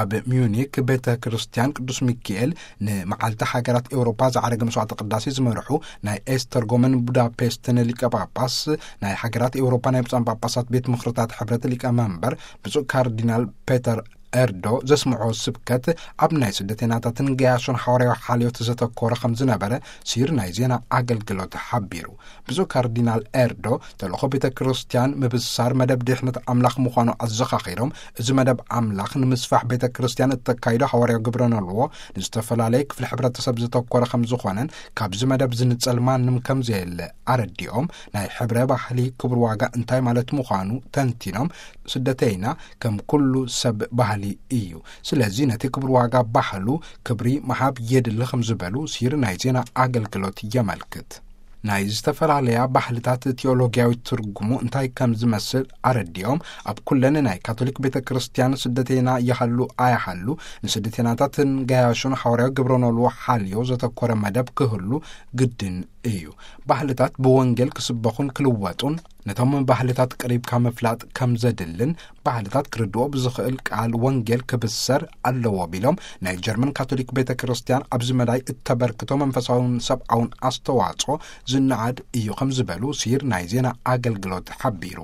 ኣብ ሚዩኒክ ቤተ ክርስቲያን ቅዱስ ሚካኤል ንመዓልቲ ሃገራት ኤውሮፓ ዝዓረገ መስዋዕተ ቅዳሴ ዝመርሑ ናይ ኤስተርጎምን ቡዳፔስትን ሊቀ ጳጳስ፣ ናይ ሃገራት ኤውሮፓ ናይ ብፁዓን ጳጳሳት ቤት ምኽርታት ሕብረት ሊቀ መንበር ብፁዕ ካርዲናል ፔተር ኤርዶ ዘስምዖ ስብከት ኣብ ናይ ስደተኛታትን ገያሾን ሓዋርያዊ ሓልዮት ዘተኮረ ከም ዝነበረ ሲር ናይ ዜና ኣገልግሎት ሓቢሩ። ብፁዕ ካርዲናል ኤርዶ ተልእኾ ቤተ ክርስቲያን ምብሳር መደብ ድሕነት ኣምላኽ ምዃኑ ኣዘኻኺሮም፣ እዚ መደብ ኣምላኽ ንምስፋሕ ቤተ ክርስቲያን እተካይዶ ሓዋርያዊ ግብረ ነልዎ ንዝተፈላለየ ክፍሊ ሕብረተሰብ ዘተኮረ ከም ዝኾነን ካብዚ መደብ ዝንጸል ማንም ከም ዘየለ ኣረዲኦም፣ ናይ ሕብረ ባህሊ ክብር ዋጋ እንታይ ማለት ምዃኑ ተንቲኖም፣ ስደተይና ከም ኩሉ ሰብ ባህሊ እዩ። ስለዚ ነቲ ክብር ዋጋ ባህሉ ክብሪ ምሃብ የድሊ ከም ዝበሉ ሲር ናይ ዜና ኣገልግሎት የመልክት። ናይ ዝተፈላለያ ባህልታት ቲኦሎጊያዊ ትርጉሙ እንታይ ከም ዝመስል ኣረዲኦም፣ ኣብ ኩለን ናይ ካቶሊክ ቤተ ክርስቲያን ስደተይና ይሃሉ ኣይሃሉ ንስደተይናታትን ገያሾን ሓዋርያዊ ግብረ ነልዎ ሓልዮ ዘተኮረ መደብ ክህሉ ግድን እዩ። ባህልታት ብወንጌል ክስበኹን ክልወጡን ነቶም ባህልታት ቅሪብካ ምፍላጥ ከም ዘድልን ባህልታት ክርድኦ ብዝኽእል ቃል ወንጌል ክብሰር ኣለዎ ቢሎም፣ ናይ ጀርመን ካቶሊክ ቤተ ክርስቲያን ኣብዚ መዳይ እተበርክቶ መንፈሳውን ሰብኣውን ኣስተዋጽኦ ዝነኣድ እዩ ከም ዝበሉ ሲር ናይ ዜና ኣገልግሎት ሓቢሩ።